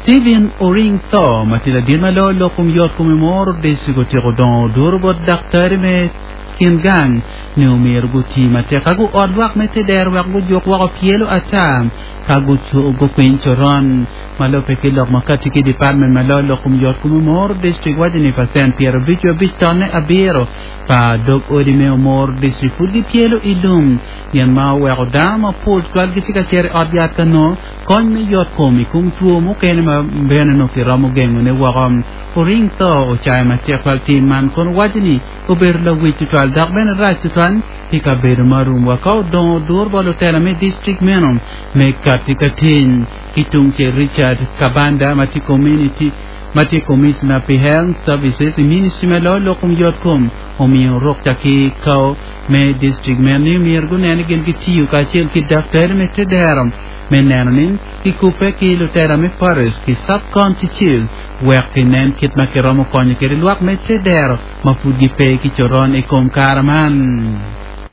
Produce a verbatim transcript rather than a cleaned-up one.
Stephen Oring Tho ma tye ladit ma loyo lok kom yot kom i Omoro District otyeko dongo oduro bot daktari me kin gang ni omyero gutii matek ka guot lwak me tedero wek gujuk woko pyelo ata ka gukwiny coron ma lubbe ki lok ma kati ki department ma loyo lok kom yot kom Omoro District waco ni pacent pyerabic wiye abic tonne abiro pa dog odi me Omoro District pud gipyelo i lum gin ma oweko dano mapol tutwal gitye ka cito i ot yat ka nongo kony me yot kom i kom two mukene ma bene nongo kiromo gengone woko. Oring Tho ocayo matek twal tim man kun waco ni obedo lawic tutwal dok bene rac tutwal pi kabedo ma rumwa ka odongo odur bot lutela me district meno me kati ka tiny. Ki tungcel Richard Kabanda ma tye community ma tye Commissioner pi Health Services i Ministry ma loyo lok kom yot kom omiyo rukca ki kao me district meno ni myero gunen ni gin gitiyo kacel ki daktari me tedero me neno ni kikubbe ki lutela me parish ki sub-county chiefs wek kinen kit ma kiromo konyo kwede lwak me tedero ma pud gipe ki coron i kom kare man.